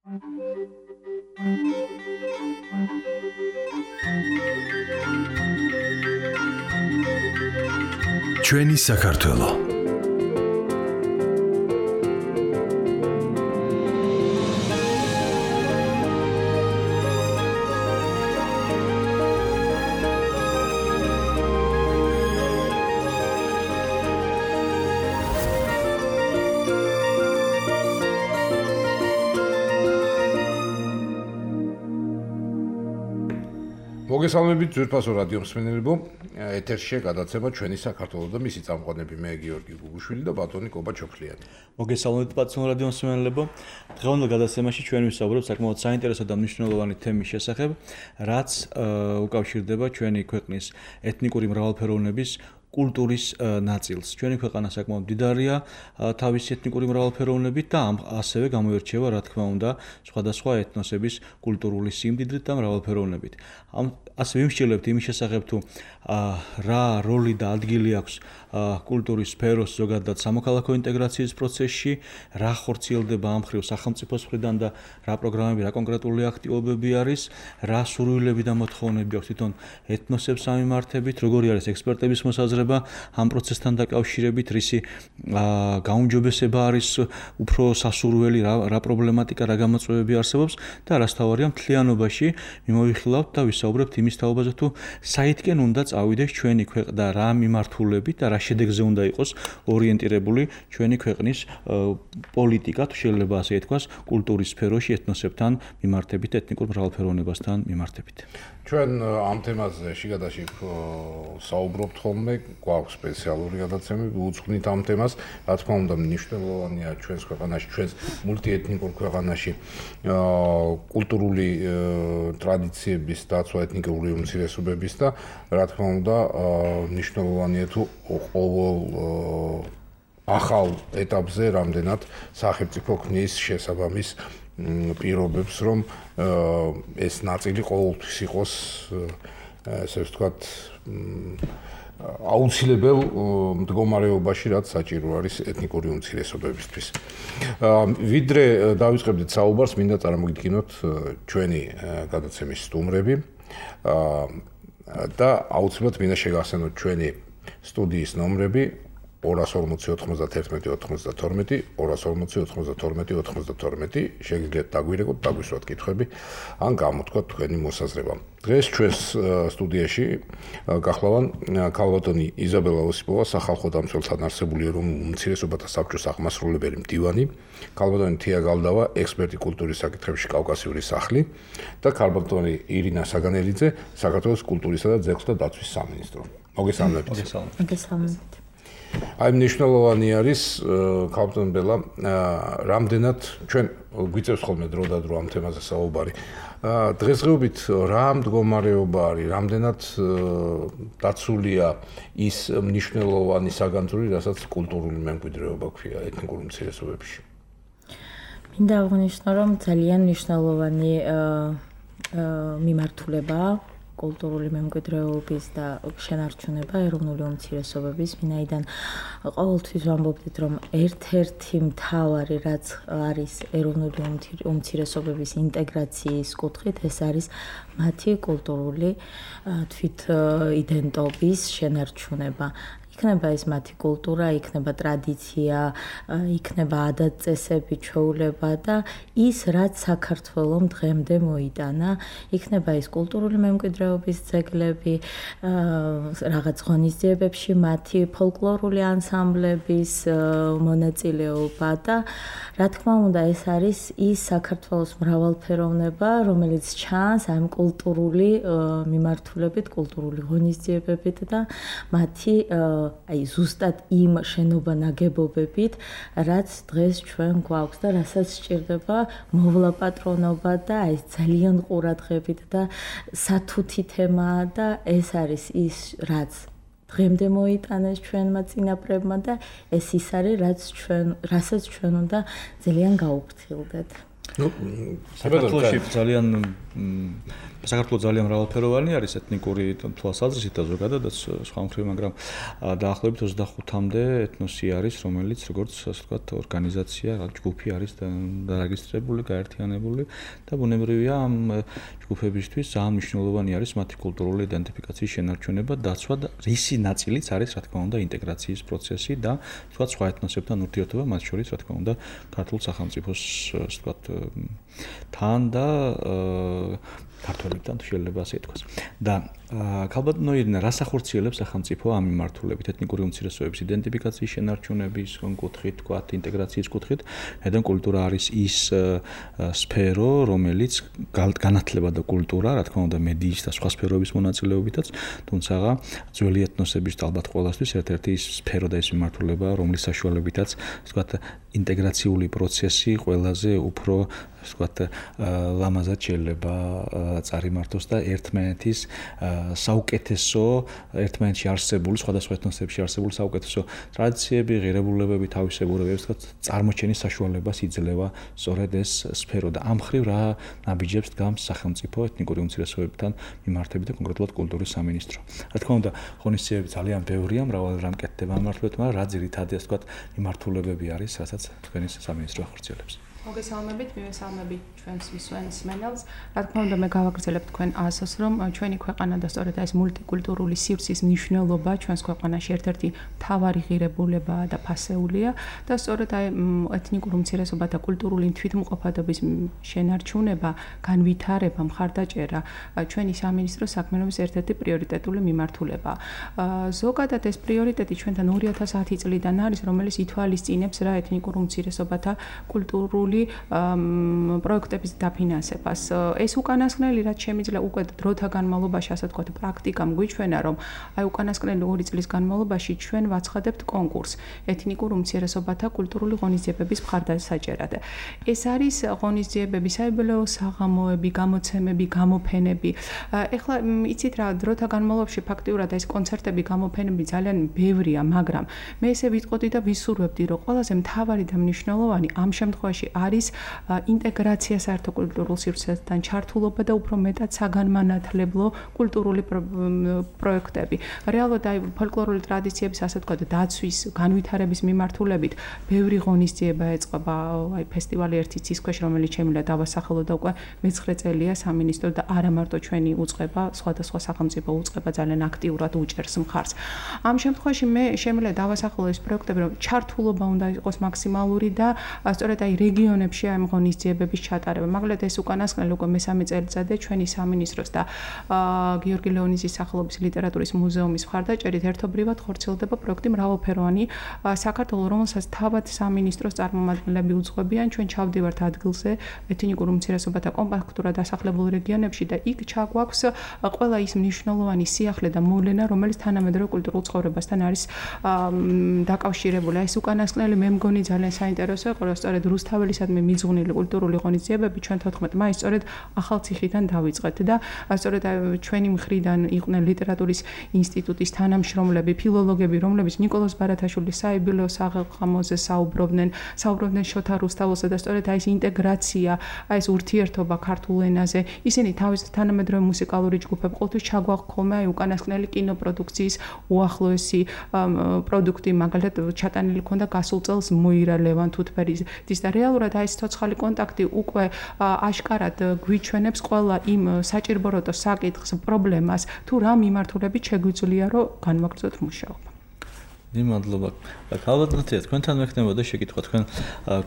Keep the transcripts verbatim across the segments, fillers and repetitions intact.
ჩვენი საქართველო. მოგესალმებით ძვირფასო რადიო მსმენელებო, ეთერშია გადაცემა ჩვენი საქართველო და მისი წამყვანები მე გიორგი გუგუშვილი და ბატონი კობა ჩოქლიანი. მოგესალმებით ბატონო რადიო მსმენელებო. დღევანდელ გადაცემაში ჩვენ ვისაუბრებთ საკმაოდ საინტერესო და მნიშვნელოვანი თემის შესახებ, რაც უკავშირდება ჩვენი ქვეყნის ეთნიკური მრავალფეროვნების კულტურის ნაწილს. ჩვენი ქვეყანა საკმაოდ მდიდარია თავისი ეთნიკური მრავალფეროვნებით და ასევე გამოირჩევა, რა თქმა უნდა, სხვადასხვა ეთნოსების კულტურული სიმდიდრით და მრავალფეროვნებით. ამ ასე ვიმსჯელებთ იმის შესახებ, თუ რა როლი და ადგილი აქვს კულტურის სფეროს ზოგადად სამოქალაქო ინტეგრაციის პროცესში, რა ხორციელდება ამ მხრივ სახელმწიფოს მხრიდან და რა პროგრამები, რა კონკრეტული აქტივობები არის, რა სურვილები და მოთხოვნები აქვს თვითონ ეთნოსებს ამიმართებით, როგორი არის ექსპერტების მოსაზრება ამ პროცესთან დაკავშირებით, რისი გაუმჯობესება არის უფრო სასურველი, რა, რა პრობლემატიკა, რა გამოწვევები არსებობს და რასთავარია მთლიანობაში მიმოვიხილავთ და ვისაუბრებთ იმის თაობაზე, თუ საითკენ უნდა წავიდეს ჩვენი ქვეყნა, რა მიმართულებით და რა შედეგზე უნდა იყოს ორიენტირებული ჩვენი ქვეყნის პოლიტიკა, თუ შეიძლება ასე ითქვას, კულტურის სფეროში ეთნოსებთან მიმართებით, ეთნიკურ მრავალფეროვნებასთან მიმართებით. ჩვენ ამ თემაზე შიგადაში საუბრობთ ხოლმე, გვაქვს სპეციალური გადაცემები, უძღვნით ამ თემას, რა თქმა უნდა, მნიშვნელოვანია ჩვენს ქვეყანაში, ჩვენს მულტიეთნიკურ ქვეყანაში კულტურული ტრადიციების დაცვა, ეთნიკური უმცირესობების და რა თქმა უნდა, მნიშვნელოვანია თუ ყოველ ახალ ეტაპზე რამდენად სახელმწიფო ქმნის შესაბამის პირობებს, რომ ეს ნაწილი ყოველთვის იყოს, ესე ვთქვათ, აუცილებელ მდგომარეობაში, რაც საჭირო არის ეთნიკური უმცირესობებისთვის. ვიდრე დავიწყებდით საუბარს, მინდა წარმოგიდგინოთ ჩვენი გადაცემის სტუმრები და აუცილებლად მინდა შეგახსენოთ ჩვენი სტუდიის ნომრები ორას ორმოცი ოთხმოცდაერთმეტი ოცდათორმეტი, ორას ორმოცი ოცდათორმეტი ოცდათორმეტი, შეგიძლიათ დაგვირეკოთ, დაგვისვათ კითხვები, ან გამოთქვათ თქვენი მოსაზრება. დღეს ჩვენს სტუდიაში გახლავან ქალბატონი იზაბელა ოსიპოვა, სახალხო დამცველთან არსებული ეროვნული უმცირესობათა საბჭოს აღმასრულებელი მდივანი, ქალბატონი თია გალდავა, ექსპერტი კულტურის საკითხებში კავკასიური სახლი და ქალბატონი ირინა საგანელიძე, საქართველოს კულტურისა და ძეგლთა დაცვის სამინისტრო. მოგესალმებით. მოგესალმებით. აი მნიშვნელოვანი არის ქალბატონ ბელა, რამდენად ჩვენ გვიწევს ხოლმე დრო და დრო ამ თემაზე საუბარი. დღესდღეობით რა მდგომარეობა არის, რამდენად დაცულია ის მნიშვნელოვანი საგანძური, რასაც კულტურული მემკვიდრეობა ქვია ეთნიკურ უმცირესობებში. მინდა აღვნიშნო, რომ ძალიან მნიშვნელოვანი მიმართულებაა კულტურული მემკვიდრეობის და შენარჩუნება ეროვნული უმცირესობების, ვინაიდან ყოველთვის ვამბობდით, რომ ერთ-ერთი მთავარი, რაც არის ეროვნული უმცირესობების ინტეგრაციის კუთხით, ეს არის მათი კულტურული თვითიდენტობის შენარჩუნება. იქნება ეს მათი კულტურა, იქნება ტრადიცია, იქნება ადათ-წესები, ჩვეულება და ის, რაც საქართველომ დღემდე მოიტანა, იქნება ის კულტურული მემკვიდრეობის ძეგლები, რაღაც ღონისძიებებში მათი ფოლკლორული ანსამბლების მონაწილეობა და რა თქმა უნდა, ეს არის ის საქართველოს მრავალფეროვნება, რომელიც ჩანს ამ კულტურული მიმართულებით, კულტურული ღონისძიებებით და მათი აი ზუსტად იმ შენობა ნაგებობებით, რაც დღეს ჩვენ გვაქვს და რასაც სჭირდება მოვლა პატრონობა და აი ძალიან ყურადღებით და სათუთი თემაა და ეს არის ის, რაც დღემდე მოიტანეს ჩვენმა წინაპრებმა და ეს ის არის, რაც ჩვენ, რასაც ჩვენ უნდა ძალიან გაუფრთხილდეთ. ნუ საქართველოში ძალიან საქართველოს ძალიან მრავალფეროვანი არის ეთნიკური თვალსაზრისით და ზოგადადაც სხვა მხრივ, მაგრამ დაახლოებით ოცდახუთამდე ეთნოსი არის, რომელიც როგორც ასე ვთქვათ, ორგანიზაცია, ჯგუფი არის დარეგისტრირებული, გაერთიანებული და ბუნებრივია ამ ჯგუფებისთვის ძალიან მნიშვნელოვანი არის მათი კულტურული იდენტიფიკაციის შენარჩუნება, დაცვა და რისი ნაწილიც არის, რა თქმა უნდა, ინტეგრაციის პროცესი და ვთქვათ, სხვა ეთნოსებთან ურთიერთობა, მათ შორის, რა თქმა უნდა, ქართულ სახელმწიფოს, ასე ვთქვათ, თან და ქართველებთან შეიძლება ასე ითქვას. და ქალბატონო ირინა, რას ახორციელებს სახელმწიფო ამ მიმართულებით ეთნიკური უმცირესობების იდენტიფიკაციის შენარჩუნების კუთხით, თქვათ, ინტეგრაციის კუთხით, հետონ კულტურა არის ის სფერო, რომელიც განათლება და კულტურა, რა თქმა უნდა, მედიის და სხვა სფეროების მონაწილეობითაც, თუმცა ძველი ეთნოსების ალბათ ყველასთვის ერთ-ერთი ის სფერო და ის მიმართულება, რომლის საშუალებითაც, თქვათ, ინტეგრაციული პროცესი ყველაზე უფრო, თქვათ, ლამაზად შეიძლება წარიმართოს და ერთმანეთის საუკეთესო ერთმანეთში არსებული სხვადასხვა ეთნოსებში არსებული საუკეთესო ტრადიციები, ღირებულებები, თავისებურებები, თქვათ, წარმოჩენის საშუალებას იძლევა სწორედ ეს სფერო და ამ მხრივ რა ნაბიჯებს დგამს სახელმწიფო ეთნიკური უმცირესობებთან მიმართებით და კონკრეტულად კულტურის სამინისტრო. რა თქმა უნდა, ღონისძიებები ძალიან ბევრია, მრავალი რამ კეთდება ამ მიმართულებით, მაგრამ რა ძირითადი, ასე ვთქვათ, მიმართულებები არის, რასაც თქვენი სამინისტრო ახორციელებს. მოგესალმებით, მივესალმებით ჩვენს მსმენელს. რა თქმა უნდა, მე გავაგრძელებ თქვენ ასოს, რომ ჩვენი ქვეყანა და სწორედ ეს მულტიკულტურული სივრცის მნიშვნელობა ჩვენს ქვეყანაში ერთ-ერთი მთავარი ღირებულებაა და ფასეულია და სწორედ აი ეთნიკურ უმცირესობათა კულტურული თვითმყოფადობის შენარჩუნება, განვითარება, მხარდაჭერა ჩვენი სამინისტროს საქმიანობის ერთ-ერთი პრიორიტეტული მიმართულებაა. ზოგადად ეს პრიორიტეტი ჩვენთან ორი ათას ათი წლიდან არის, რომელიც ითვალისწინებს რა ეთნიკურ უმცირესობათა კულტურული პროექტების დაფინანსებას. ეს უკანასკნელი, რაც შემიძლია უკვე დროთა განმავლობაში, ასე ვთქვათ, პრაქტიკამ გვიჩვენა, რომ აი უკანასკნელი ორი წლის განმავლობაში ჩვენ ვაცხადებთ კონკურსს ეთნიკურ უმცირესობათა კულტურული ღონისძიებების მხარდასაჭერად. ეს არის ღონისძიებები, საიუბილეო საღამოები, გამოცემები, გამოფენები. ეხლა იცით რა, დროთა განმავლობაში ფაქტიურად ეს კონცერტები, გამოფენები ძალიან ბევრია, მაგრამ მე ესე ვიტყოდი და ვისურვებდი, რომ ყველაზე მთავარი და მნიშვნელოვანი ამ შემთხვევაში არის ინტეგრაცია საერთო კულტურულ სივრცესთან, ჩართულობა და უფრო მეტად საგანმანათლებლო კულტურული პროექტები. რეალურად აი ფოლკლორული ტრადიციების, ასე ვთქვათ, დაცვის, განვითარების მიმართულებით ბევრი ღონისძიება ეწყობა, აი ფესტივალი ერთი ცის ქვეშ, რომელიც შემიძლია დავასახელო და უკვე მეცხრე წელია სამინისტრო და არა მარტო ჩვენი უწყება, სხვადასხვა სახელმწიფო უწყება ძალიან აქტიურად უჭერს მხარს. ამ შემთხვევაში მე შემიძლია დავასახელო ეს პროექტები, რომ ჩართულობა უნდა იყოს მაქსიმალური და სწორედ აი რეგიონებში ამ ღონისძიებების ჩატარება. მაგალითად ეს უკანასკნელი უკვე მესამე წელიწადია ჩვენი სამინისტროს და გიორგი ლეონიძის სახელობის ლიტერატურის მუზეუმის მხარდაჭერით ერთობლივად ხორციელდება პროექტი მრავალფეროვანი საქართველოს, რომელსაც თავად სამინისტროს წარმომადგენლები უძღვებიან. ჩვენ ჩავდივართ ადგილზე ეთნიკურ უმცირესობათა კომპაქტურად დასახლებულ რეგიონებში და იქ ჩაგვაქვს ყველა ის მნიშვნელოვანი სიახლე და მოვლენა, რომელიც თანამედროვე კულტურულ ცხოვრებასთან არის დაკავშირებული. ეს უკანასკნელი მე მგონი ძალიან საინტერესო იყო, რომ სწორედ რუსთაველისადმი მიძღვნილი კულტურული ღონისძიებები ჩვენ თოთხმეტ მაისს სწორედ ახალციხიდან დავიწყეთ და სწორედ ჩვენი მხრიდან იყვნენ ლიტერატურის ინსტიტუტის თანამშრომლები, ფილოლოგები, რომლებიც ნიკოლოზ ბარათაშვილის საიუბილეო საღამოზე საუბრობდნენ, საუბრობდნენ შოთა რუსთაველსა და სწორედ აი ეს ინტეგრაცია, აი ეს ურთიერთობა ქართულ ენაზე, ისინი თავის თანამედროვე მუსიკალური ჯგუფები ყოველთვის ჩაგვაქვს ხოლმე აი უკანასკნელი კინოპროდუქციის უახლოესი პროდუქტი, მაგალითად ჩატანილი ქონდა გასულ წელს მოირა ლევან თუთფერის და რეალურად აი ეს ცოცხალი კონტაქტი უკვე აშკარად გვიჩვენებს ყველა იმ საჭიროებო საკითხს, პრობლემას, თუ რა მიმართულებით შეგვიძლია რომ განვაგრძოთ მუშაობა. მადლობა. ქალბატონო, თქვენთან მექნებოდა შეკითხვა, თქვენ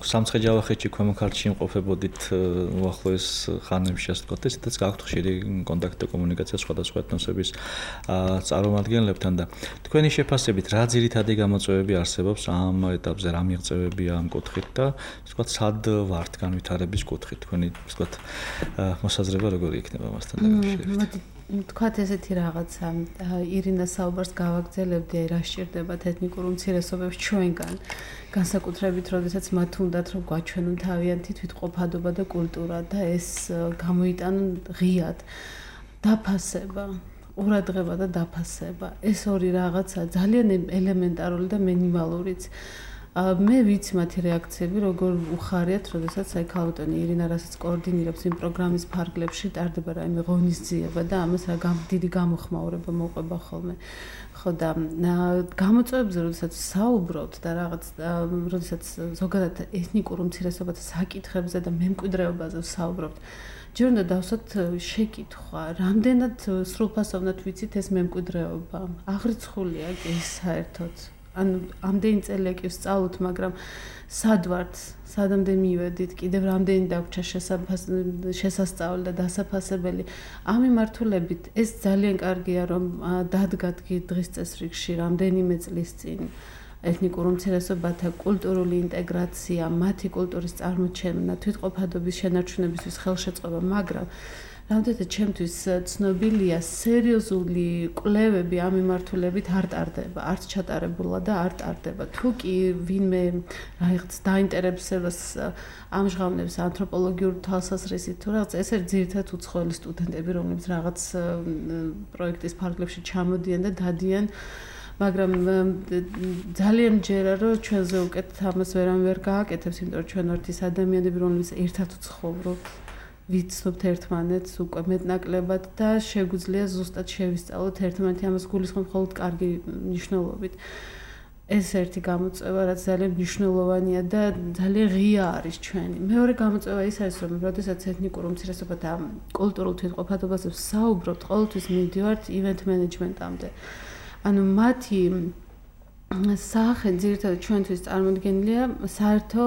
სამცხე-ჯავახეთში, ქვემო ქართლში იმყოფებოდით უახლოეს ხანებში, ასე ვთქვათ, ესეთაც გაქვთ ხშირი კონტაქტი და კომუნიკაცია სხვადასხვა ეთნოსების წარმომადგენლებთან და თქვენი შეფასებით რა ძირითადი გამოწვევები არსებობს ამ ეტაპზე, რა მიღწევებია ამ კუთხით და ასე ვთქვათ, სად ვართ განვითარების კუთხით, თქვენი ასე ვთქვათ, მოსაზრება როგორი იქნება მასთან დაკავშირებით? თქვათ ესეთი რაღაცა, ირინა საუბარს გავაგრძელებდი, რა სჭირდებათ ეთნიკურ უმცირესობებს ჩვენგან, განსაკუთრებით, როდესაც მათ უნდათ რომ გვაჩვენონ თავიანთი თვითმყოფადობა და კულტურა და ეს გამოიტანონ ღიად. დაფასება, ყურადღება და დაფასება. ეს ორი რაღაცა ძალიან ელემენტარული და მინიმალურიც. მე ვიცი მათი რეაქციები, როგორ უხარიათ, როდესაც აი ქალბატონი ირინა რასაც კოორდინირებს იმ პროგრამის ფარგლებში ტარდება რაიმე ღონისძიება და ამას რა დიდი გამოხმაურება მოყვება ხოლმე. ხო და გამოწვევებზე როდესაც საუბრობთ და რაღაც როდესაც ზოგადად ეთნიკურ უმცირესობათა საკითხებზე და მემკვიდრეობაზე საუბრობთ, ჯერ უნდა დავსვათ შეკითხვა, რამდენად სრულფასოვნად ვიცით ეს მემკვიდრეობა? აღრიცხულია კი საერთოდ. ანუ ამდენი წელია კი ვსწავლოთ, მაგრამ სად ვართ, სადამდე მივედით, კიდევ რამდენი დაგვრჩა შესასწავლელი და დასაფასებელი. ამ მიმართულებით ეს ძალიან კარგია, რომ დადგათ დღის წესრიგში რამდენიმე წლის წინ ეთნიკურ უმცირესობათა კულტურული ინტეგრაცია, მათი კულტურის წარმოჩენა, თვითყოფადობის შენარჩუნებისთვის ხელშეწყობა, მაგრამ რამდენად ჩემთვის ცნობილია, სერიოზული კვლევები ამ მიმართულებით არ ტარდება, არც ჩატარებულა და არ ტარდება. თუ კი ვინმე რაღაც დაინტერესებას ამჟღავნებს ანთროპოლოგიურ თვალსაზრისით, თუ რაღაც ეს არის ძირითადად უცხოელი სტუდენტები, რომლებიც რაღაც პროექტის ფარგლებში ჩამოდიან და დადიან, მაგრამ ძალიან მჯერა, რომ ჩვენზე უკეთ ამას ვერამ ვერ გააკეთებს, იმიტომ რომ ჩვენ ვართ ის ადამიანები, რომლებიც ერთად ვცხოვრობთ. ვიცნობთ ერთმანეთს უკვე მეტნაკლებად და შეგვიძლია ზუსტად შევისწავლოთ ერთმანეთი, ამას გულისხმობ მხოლოდ კარგი მნიშვნელობით. ეს ერთი გამოწვევა, რაც ძალიან მნიშვნელოვანია და ძალიან ღია არის ჩვენი. მეორე გამოწვევა ის არის, რომ როდესაც ეთნიკურ უმცირესობათა კულტურულ თვითყოფადობაზე ვსაუბრობთ, ყოველთვის მივდივართ ივენთ მენეჯმენტამდე. ანუ მათი სახე ძირითადად ჩვენთვის წარმოდგენილია საერთო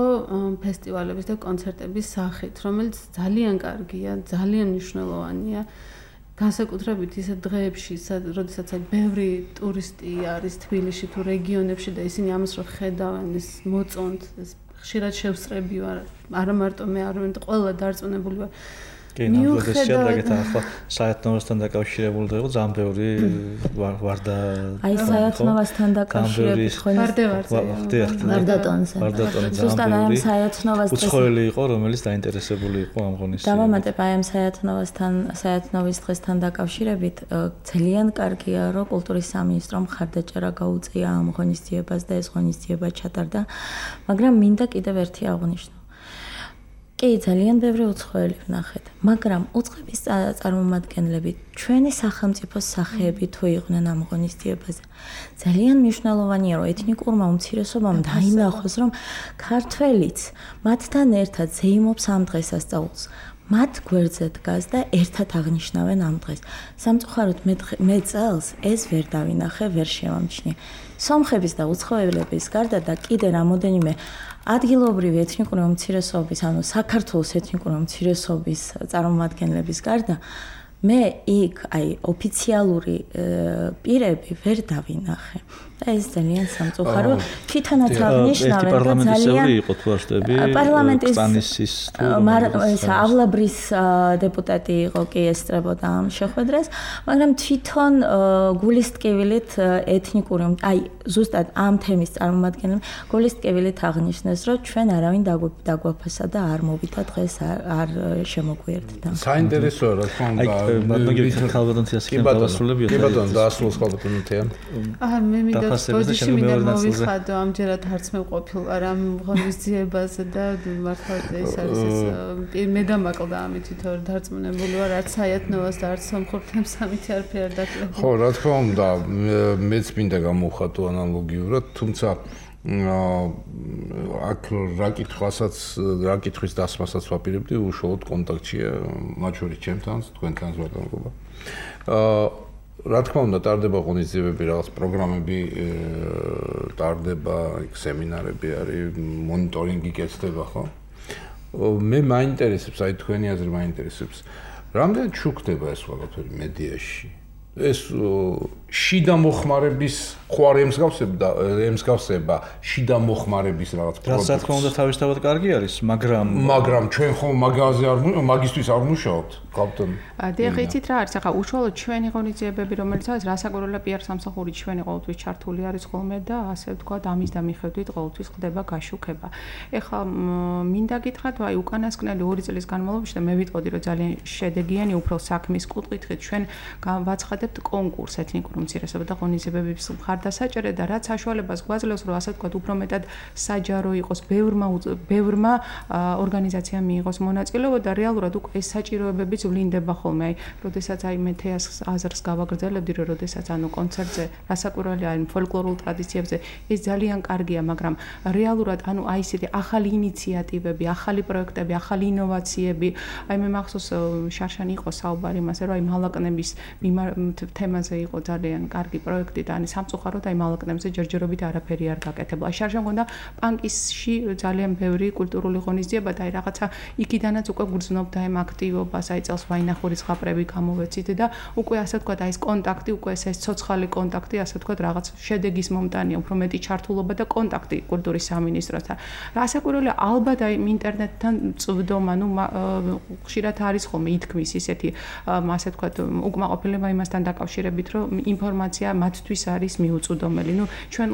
ფესტივალების და კონცერტების სახით, რომელიც ძალიან კარგია, ძალიან მნიშვნელოვანია. განსაკუთრებით ისეთ დღეებში, როდესაც ბევრი ტურისტი არის თბილისში თუ რეგიონებში და ისინი ამას რო ხედავენ, ის მოწონთ, ეს ხშირად შევსწრები ვარ, არა მარტო მე, არამედ ყველა დარწმუნებული ვარ. კი, ნამდვილად შეადაგეთ ახლა საერთნოვასთან დაკავშირებული და იყო ძალიან ბევრი ვარდა. აი საერთნოვასთან დაკავშირებით ვარდატონზე. ვარდატონზე. ზუსტად აი საერთნოვას დღეს უცხოელი იყო, რომელიც დაინტერესებული იყო ამ ღონისძიებაში. დავამატებ აი ამ საერთნოვასთან, საერთნოვის დღესთან დაკავშირებით ძალიან კარგია, რომ კულტურის სამინისტრომ მხარდაჭერა გაუწია ამ ღონისძიებას და ეს ღონისძიება ჩატარდა, მაგრამ მინდა კიდევ ერთი აღნიშნო. კი, ძალიან ბევრი უცხოელი ვნახეთ, მაგრამ უცხოების წარმომადგენლები ჩვენი სახელმწიფოს სახეები თუ იყვნენ ამ ღონისძიებაზე. ძალიან მნიშვნელოვანია, რომ ეთნიკურმა უმცირესობამ დაინახოს, რომ ქართველიც მათთან ერთად ზეიმობს ამ დღესასწაულს. მათ გვერდზე დგას და ერთად აღნიშნავენ ამ დღეს. სამწუხაროდ მე წელს ეს ვერ დავინახე, ვერ შევამჩნიე. სომხების და უცხოელების გარდა და კიდე რამოდენიმე ადგილობრივი ეთნიკური უმცირესობის, ანუ საქართველოს ეთნიკური უმცირესობის წარმომადგენლების გარდა მე იქ აი ოფიციალური პირები ვერ დავინახე. და ეს ძალიან სამწუხარო. თვითონაც აღნიშნავენ და ძალიან იყო თუ არ ვშტები, პარლამენტის ეს ავლაბრის დეპუტატი იყო კი ესწრებოდა ამ შეხვედრას, მაგრამ თვითონ გულისტკივილით ეთნიკური აი ზუსტად ამ თემის წარმომადგენლები გულისტკივილით აღნიშნეს, რომ ჩვენ არავინ დაგვაფასა და არ მოვიდა დღეს არ შემოგვიერთდა. საინტერესოა რა თქმა უნდა. მაგრამ ქალბატონციას კი დავასრულებია. კი ბატონო, დაასრულოს ქალბატონთია. აა მე მინდა პოზიციაში მინდა მოვიხადო, ამჯერად არც მე ყოფილ არ ამ ღონისძიებაზე და მართლა ეს არის ეს მე დამაკლდა ამით თვითონ დარწმუნებული ვარ, არც საერთნოვას და არც სომხურ თემს ამით არაფერი არ დაკლებ. ხო, რა თქმა უნდა, მეც მინდა გამოვხატო ანალოგიურად, თუმცა აქ რა კითხვასაც, რა კითხვის დასმასაც ვაპირებდი, უშუალოდ კონტაქტშია მათ შორის ჩემთანაც, თქვენთანაც ბატონობა. აა რა თქმა უნდა, ტარდება ღონისძიებები, რაღაც პროგრამები ტარდება, იქ სემინარები არის, მონიტორინგი კეთდება, ხო? მე მაინტერესებს, აი თქვენი აზრი მაინტერესებს. რამდენად შუქდება ეს ყველაფერი მედიაში? ეს შიდა მოხმარების ხوار ემსგავსება, ემსგავსება შიდა მოხმარების რაღაც პროდუქტს. რა თქმა უნდა, თავისთავად კარგი არის, მაგრამ მაგრამ ჩვენ ხომ მაგაზე არ მაგისტვის არ ვმუშაობთ, კაპიტანი. დიახ, იცით რა არის, ახლა უშუალოდ ჩვენი ღონისძიებები, რომელიც არის რასაკვირველია პი არ სამსახური ჩვენი ყოველთვის ჩართული არის ხოლმე და ასე ვთქვათ, ამის და მიხედვით ყოველთვის ხდება გაშუქება. ეხლა მინდა გითხრათ, აი უკანასკნელი ორი წლის განმავლობაში და მე ვიტყოდი, რომ ძალიან შედეგიანი უფრო საქმის კუთხით ჩვენ ვაცხადებ ვიხადებთ კონკურს ეთნიკური უმცირესობათა და ღონისძიებების მხარდასაჭერად და რაც საშუალებას გვაძლევს, რომ ასე ვთქვათ, უფრო მეტად საჯარო იყოს, ბევრმა ბევრმა ორგანიზაციამ მიიღოს მონაწილეობა და რეალურად უკვე ეს საჭიროებებიც ვლინდება ხოლმე. აი, როდესაც აი მე თეას აზრს გავაგრძელებდი, რომ როდესაც ანუ კონცერტზე, რასაკვირველია, აი ფოლკლორულ ტრადიციებზე ეს ძალიან კარგია, მაგრამ რეალურად ანუ აი ესეთი ახალი ინიციატივები, ახალი პროექტები, ახალი ინოვაციები, აი მე მახსოვს შარშან იყო საუბარი იმაზე, რომ აი მალაკნების თემაზე იყო ძალიან კარგი პროექტი და აი სამწუხაროდ აი მალაკნებზე ჯერჯერობით არაფერი არ გაკეთებულა. აი შარშან მგონდა პანკისში ძალიან ბევრი კულტურული ღონისძიება და აი რაღაცა იქიდანაც უკვე გრძნობდა ამ აქტივობას, აი წელს ვაინახურის ზღაპრები გამოვეცით და უკვე ასე ვთქვათ, აი ეს კონტაქტი, უკვე ეს ეს ცოცხალი კონტაქტი, ასე ვთქვათ, რაღაც შედეგის მომტანია, უფრო მეტი ჩართულობა და კონტაქტი კულტურის სამინისტროსთან. რასაკვირველია, ალბათ აი ინტერნეტთან წვდომა, ну ხშირად არის ხოლმე ითქმის ისეთი, ასე ვთქვათ, უკმაყოფილება იმასთან დაკავშირებით, რომ ინფორმაცია მათთვის არის მიუწვდომელი. ну ჩვენ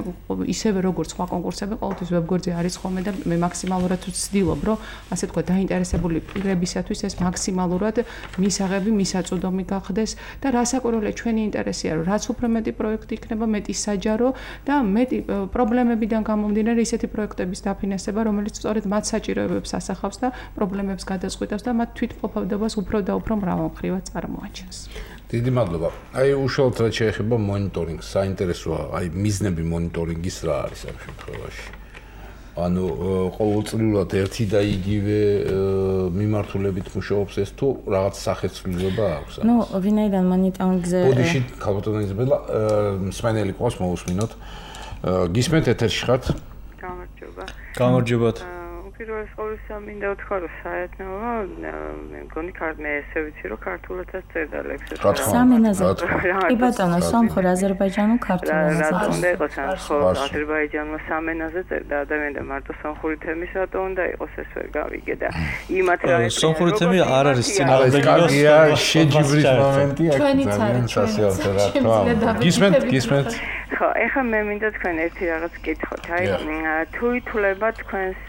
ისევე როგორც სხვა კონკურსები, ყოველთვის ვებგვერდზე არის ხოლმე და მე მაქსიმალურად ვცდილობ, რომ ასე ვთქვათ, დაინტერესებული პირებისათვის ეს მაქსიმალურად მისაღები, მისაწვდომი გახდეს და რასაკვირველია, ჩვენი ინტერესია, რომ რაც უფრო მეტი პროექტი იქნება, მეტი საჯარო და მეტი პრობლემებიდან გამომდინარე ისეთი პროექტების დაფინანსება, რომელიც სწორედ მათ საჭიროებებს ასახავს და პრობლემებს გადაწყვეტავს და მათ თვითმყოფადობას უფრო და უფრო მრავალმხრივად წარმოაჩენს. დიდი მადლობა. აი უშუალოდ რაც შეეხება მონიტორინგს, საინტერესოა, აი მიზნები მონიტორინგის რა არის ამ შემთხვევაში? ანუ ყოველწლიურად ერთი და იგივე მიმართულებით მუშაობს ეს თუ რაღაც სახეცვლილება აქვს? ну, ვინაიდან მონიტორინგზე ბოდიში ქალბატონიზებელა მსმენელი ყავს მოусმინოთ. გისმენთ ეთერში ხართ? გამარჯობა. გამარჯობათ. პირველ ყოვლისა მინდა ვთქვა, რომ საერთოდ მე მგონი მე ესე ვიცი, რომ ქართულადაც წერდა ლექსებს. სამ ენაზე. კი ბატონო, სომხურ, აზერბაიჯანულ, ქართულაზე. რა უნდა იყოს, ხო, აზერბაიჯანულმა სამ ენაზე წერდა ადამიანი და მარტო სომხური თემის რატო უნდა იყოს ეს ვერ გავიგე და იმათ რა სომხური თემი არ არის წინააღმდეგი. კარგია, შეჯიბრის მომენტია, ძალიან სასიამოვნო რა თქმა უნდა. გისმენთ, გისმენთ. ხო, ეხლა მე მინდა თქვენ ერთი რაღაც კითხოთ. აი, თუ ითვლება თქვენს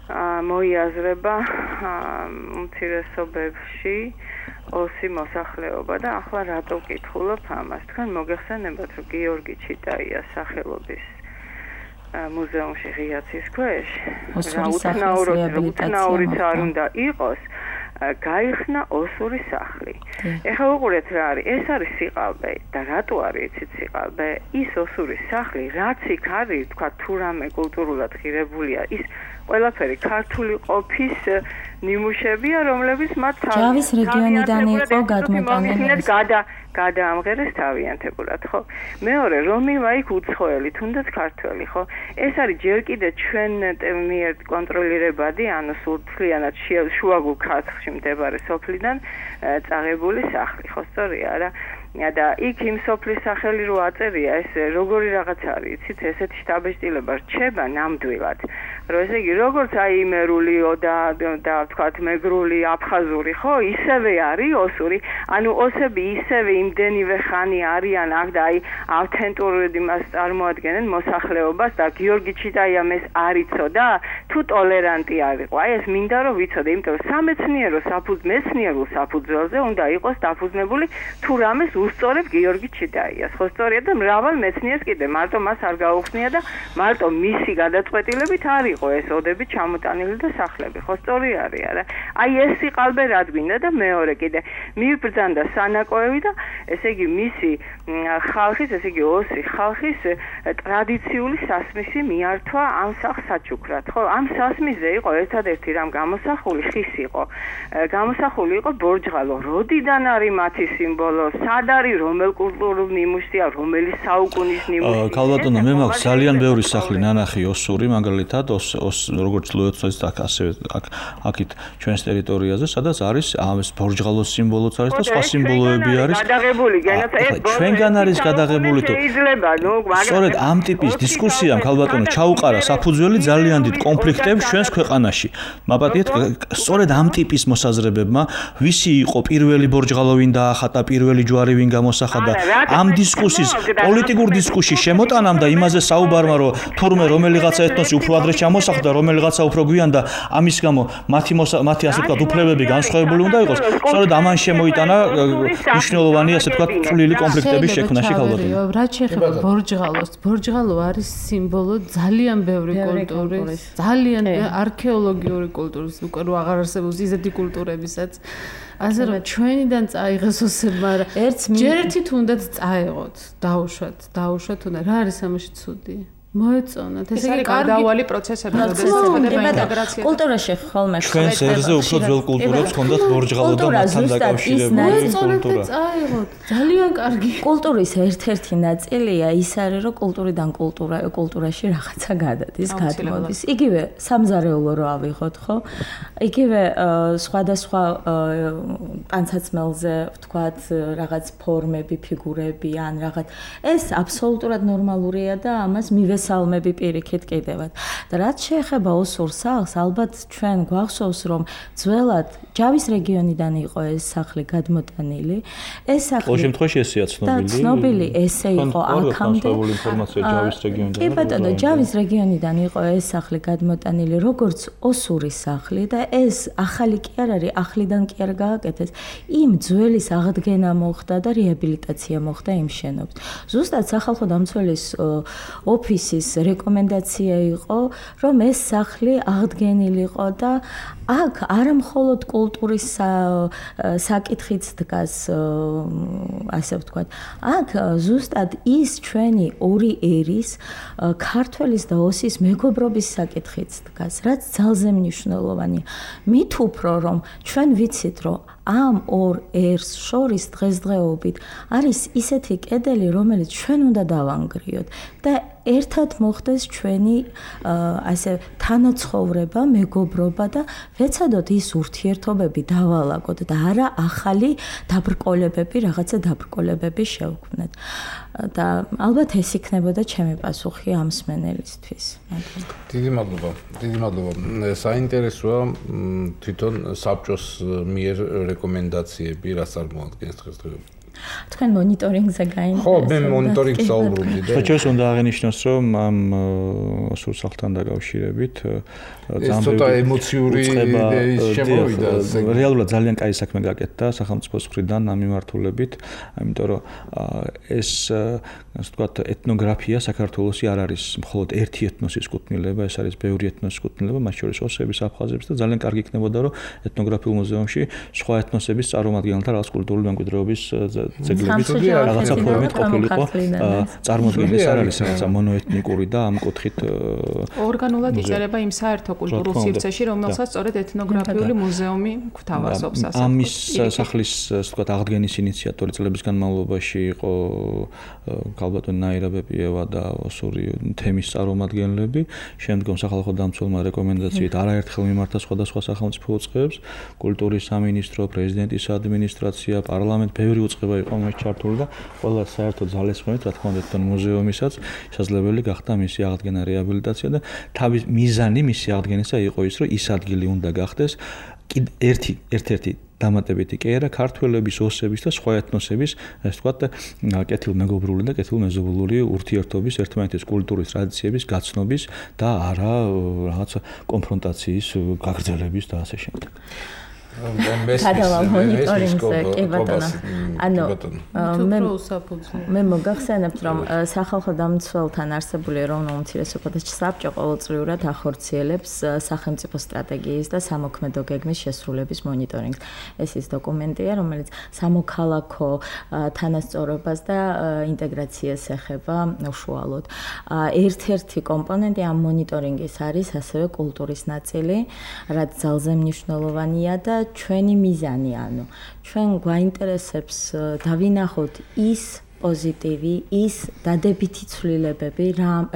მოიაზრება უმცირესობებში ოსი მოსახლეობა და ახლა რატო ვკითხულობ ამას? თქვენ მოგეხსენებათ, რომ გიორგი ჩიტაიას სახელობის მუზეუმში ღიაცის ქვეშ რა უთნაურიც არ უნდა იყოს, გაიხსნა ოსური სახლი. ეხლა უყურეთ რა არის, ეს არის სიყალბე და რატო არის იცით სიყალბე? ის ოსური სახლი, რაც იქ არის, თქვა თუ რამე კულტურულად ღირებულია, ის ყველაფერი ქართული ყოფის ნიმუშებია, რომლებიც მათ ჯავის რეგიონიდან იყო გადმოტანილი. გადა გადაამღერეს თავიანთებურად, ხო? მეორე, რომივა იქ უცხოელი, თუნდაც ქართველი, ხო? ეს არის ჯერ კიდე ჩვენ მიერ კონტროლირებადი, ანუ სულთლიანად შუაგულ ქართლში მდებარე სოფლიდან წაღებული სახლი, ხო, სწორია რა? და იქ იმ სოფლის სახელი რო აწერია, ეს როგორი რაღაც არის, იცით, ესეთი შტაბეჭდილება რჩება ნამდვილად. რომ ესე იგი, როგორც აი იმერული და და თქვათ მეგრული, აფხაზური, ხო, ისევე არის ოსური. ანუ ოსები ისევე იმდენივე ხანი არიან აქ და აი ავთენტურად იმას წარმოადგენენ მოსახლეობას და გიორგი ჩიტაიამ ეს არ იცოდა, თუ ტოლერანტი არისო. აი ეს მინდა რომ ვიცოდე, იმიტომ რომ სამეცნიერო საფუძ მეცნიერულ საფუძველზე უნდა იყოს დაფუძნებული თუ რამეს უსწორებ გიორგი ჩიტაიას. ხო, სწორია და მრავალ მეცნიერს კიდე მარტო მას არ გაუხსნია და მარტო მისი გადაწყვეტილებით არ იყო ეს ოდები ჩამოტანილი და სახლები. ხო, სწორი არის არა? აი ეს სიყალბე რა გვინდა და მეორე კიდე მიბრძანდა სანაკოევი და ესე იგი მისი ხალხის, ესე იგი ოსი ხალხის ტრადიციული სასმისი მიართვა ამ სახლს საჩუქრად. ხო, ამ სასმისზე იყო ერთადერთი რამ გამოსახული ხის იყო. გამოსახული იყო ბორჯღალო. როდიდან არის მათი სიმბოლო? სად არის, რომელ კულტურულ ნიმუშია, რომელი საუკუნის ნიმუშია? ქალბატონო, მე მაქვს ძალიან ბევრი სახლი ნანახი ოსური, მაგალითად, ოს ოს როგორც ლოეცოის და ასევე აქ აქით ჩვენს ტერიტორიაზე, სადაც არის ამის ბორჯღალოს სიმბოლოც არის და სხვა სიმბოლოები არის. გადაღებული, განაცხადეთ, ჩვენგან არის გადაღებული თუ შეიძლება, ნუ, სწორედ ამ ტიპის დისკუსიამ ქალბატონო ჩაუყარა საფუძველი ძალიან დიდ კონფლიქტებს ჩვენს ქვეყანაში. მაპატიეთ, სწორედ ამ ტიპის მოსაზრებებმა, ვისი იყო პირველი ბორჯღალო ვინ დაახატა, პირველი ჯვარი ვინ გამოსახა და ამ დისკუსიის პოლიტიკურ დისკუსიის შემოტანამ და იმაზე საუბარმა, რომ თურმე რომელიღაცა ეთნოსი უფრო ადრე ჩამო მოსახლდა რომელიღაცა უფრო გვიან და ამის გამო მათი მათი ასე ვთქვათ უფლებები განსხვავებული უნდა იყოს. სწორედ ამან შემოიტანა მნიშვნელოვანი ასე ვთქვათ წვლილი კონფლიქტების შექმნაში ქალბატონი. რაც შეეხება ბორჯღალოს, ბორჯღალო არის სიმბოლო ძალიან ბევრი კულტურის, ძალიან არქეოლოგიური კულტურის, უკვე რო აღარ არსებობს ისეთი კულტურებისაც. ასე რომ ჩვენიდან წაიღეს ოსებ, მაგრამ ჯერ ერთი თუნდაც წაეღოთ, დაუშვათ, დაუშვათ თუნდაც. რა არის ამაში ცუდი? მოეწონათ. ეს არის გარდაუვალი პროცესები, როდესაც ხდება ინტეგრაცია. კულტურაში ხოლმე ჩვენს ერზე უფრო ძველ კულტურებს ჰქონდათ ბორჯღალო და მასთან დაკავშირებული კულტურა. წაიღოთ, ძალიან კარგი. კულტურის ერთ-ერთი ნაწილია ის არის, რომ კულტურიდან კულტურა კულტურაში რაღაცა გადადის, გადმოდის. იგივე სამზარეულო რო ავიღოთ, ხო? იგივე სხვადასხვა ტანცაცმელზე ვთქვათ, რაღაც ფორმები, ფიგურები ან რაღაც ეს აბსოლუტურად ნორმალურია და ამას მივე სალმები პირიქით კიდევაც. და რაც შეეხება ოსურ სახლს, ალბათ ჩვენ გვახსოვს, რომ ძველად ჯავის რეგიონიდან იყო ეს სახლი გადმოტანილი. ეს სახლი ყოველ შემთხვევაში ესეა ცნობილი. და ცნობილი ესე იყო აქამდე. ინფორმაცია ჯავის რეგიონიდან. კი ბატონო, ჯავის რეგიონიდან იყო ეს სახლი გადმოტანილი, როგორც ოსური სახლი და ეს ახალი კი არ არის, ახლიდან კი არ გააკეთეს. იმ ძველის აღდგენა მოხდა და რეაბილიტაცია მოხდა იმ შენობის. ზუსტად სახალხო დამცველის ოფისი რეკომენდაცია იყო, რომ ეს სახლი აღდგენილიყო და აქ არა მხოლოდ კულტურის საკითხიც დგას, ასე ვთქვათ. აქ ზუსტად ის ჩვენი ორი ერის, ქართველის და ოსის მეგობრობის საკითხიც დგას, რაც ძალზე მნიშვნელოვანია. მით უფრო რომ ჩვენ ვიცით, რომ ამ ორ ერს შორის დღესდღეობით არის ისეთი კედელი, რომელიც ჩვენ უნდა დავანგრიოთ და ერთად მოხდეს ჩვენი ასე თანაცხოვრება, მეგობრობა და ვეცადოთ ის ურთიერთობები დავალაგოთ და არა ახალი დაბრკოლებები, რაღაცა დაბრკოლებები შევქმნათ. და ალბათ ეს იქნებოდა ჩემი პასუხი ამ მსმენელისთვის. დიდი მადლობა. დიდი მადლობა. საინტერესოა თვითონ საბჭოს მიერ რეკომენდაციები რა წარმოადგენს დღესდღეობით. თქვენ მონიტორინგზე გაინტერესებთ? ხო, მე მონიტორინგს საუბრობდი და საჩვენს უნდა აღინიშნოს, რომ ამ სულ სახლთან დაკავშირებით ეს ცოტა ემოციური შემოვიდა. რეალურად ძალიან კაი საქმე გაკეთდა სახელმწიფოს მხრიდან ამ მიმართულებით, იმიტომ რომ ეს ასე ვთქვათ ეთნოგრაფია საქართველოსი არ არის მხოლოდ ერთი ეთნოსის კუთვნილება, ეს არის ბევრი ეთნოსის კუთვნილება, მათ შორის ოსების, აფხაზების და ძალიან კარგი იქნებოდა, რომ ეთნოგრაფიულ მუზეუმში სხვა ეთნოსების წარმომადგენელთა რაღაც კულტურული მემკვიდრეობის ძეგლებით რაღაცა ფორმით ყოფილიყო წარმოდგენილი. ეს არ არის რაღაცა მონოეთნიკური და ამ კუთხით ორგანულად იწერება იმ საერთო კულტურულ სივრცეში, რომელსაც სწორედ ეთნოგრაფიული მუზეუმი გვთავაზობს. ამის სახლის ასე ვთქვათ აღდგენის ინიციატორი წლების განმავლობაში იყო ქალბატონი ნაირა ბეპიევა და ოსური თემის წარმომადგენლები. შემდგომ სახალხო დამცველმა რეკომენდაციით არაერთხელ მიმართა სხვადასხვა სახელმწიფო უწყებებს, კულტურის სამინისტრო, პრეზიდენტის ადმინისტრაცია, პარლამენტი, ბევრი უწყება იყო მას ჩართული და ყველა საერთო ძალისხმევით, რა თქმა უნდა, თვითონ მუზეუმისაც შესაძლებელი გახდა მისი აღდგენა, რეაბილიტაცია და თავის მიზანი მისი აღდგენისა იყო ის, რომ ის ადგილი უნდა გახდეს ერთი ერთ-ერთი დამატებითი კი არა ქართველების, ოსების და სხვა ეთნოსების, ასე ვთქვათ, კეთილმეგობრული და კეთილმეზობლური ურთიერთობის, ერთმანეთის კულტურის, ტრადიციების გაცნობის და არა რაღაცა კონფრონტაციის გაგრძელების და ასე შემდეგ. გადავალ მონიტორინგზე, კი ბატონო. ანუ მე მე მოგახსენებთ, რომ სახალხო დამცველთან არსებული ეროვნულ უმცირესობათა საბჭო ყოველწლიურად ახორციელებს სახელმწიფო სტრატეგიის და სამოქმედო გეგმის შესრულების მონიტორინგს. ეს ის დოკუმენტია, რომელიც სამოქალაქო თანასწორობას და ინტეგრაციას ეხება უშუალოდ. ერთ-ერთი კომპონენტი ამ მონიტორინგის არის ასევე კულტურის ნაწილი, რაც ძალზე მნიშვნელოვანია და ჩვენი მიზანი, ანუ ჩვენ გვაინტერესებს დავინახოთ ის პოზიტივი, ის დადებითი ცვლილებები,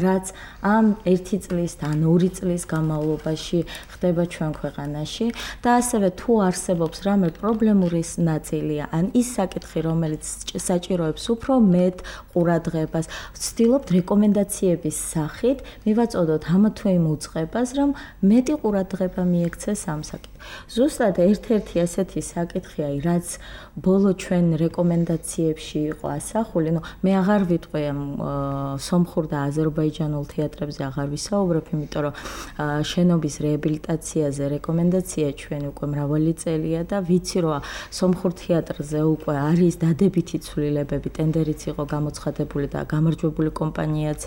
რაც ამ ერთი წლის და ორი წლის განმავლობაში ხდება ჩვენ ქვეყანაში და ასევე თუ არსებობს რამე პრობლემური ნაწილია, ან ის საკითხი, რომელიც საჭიროებს უფრო მეტ ყურადღებას, ვცდილობთ რეკომენდაციების სახით მივაწოდოთ ამა თუ იმ უწყებას, რომ მეტი ყურადღება მიექცეს ამ საკითხს. ზუსტად ერთ-ერთი ასეთი საკითხია, რაც ბოლო ჩვენ რეკომენდაციებში იყო ასახული, ну, მე აღარ ვიტყვი ამ სომხურ და აზერბაიჯანულ თეატრებზე აღარ ვისაუბრებ, იმიტომ რომ შენობის რეაბილიტაციაზე რეკომენდაცია ჩვენ უკვე მრავალი წელია და ვიცი რომ სომხურ თეატრზე უკვე არის დადებითი ცვლილებები, ტენდერიც იყო გამოცხადებული და გამარჯვებული კომპანიაც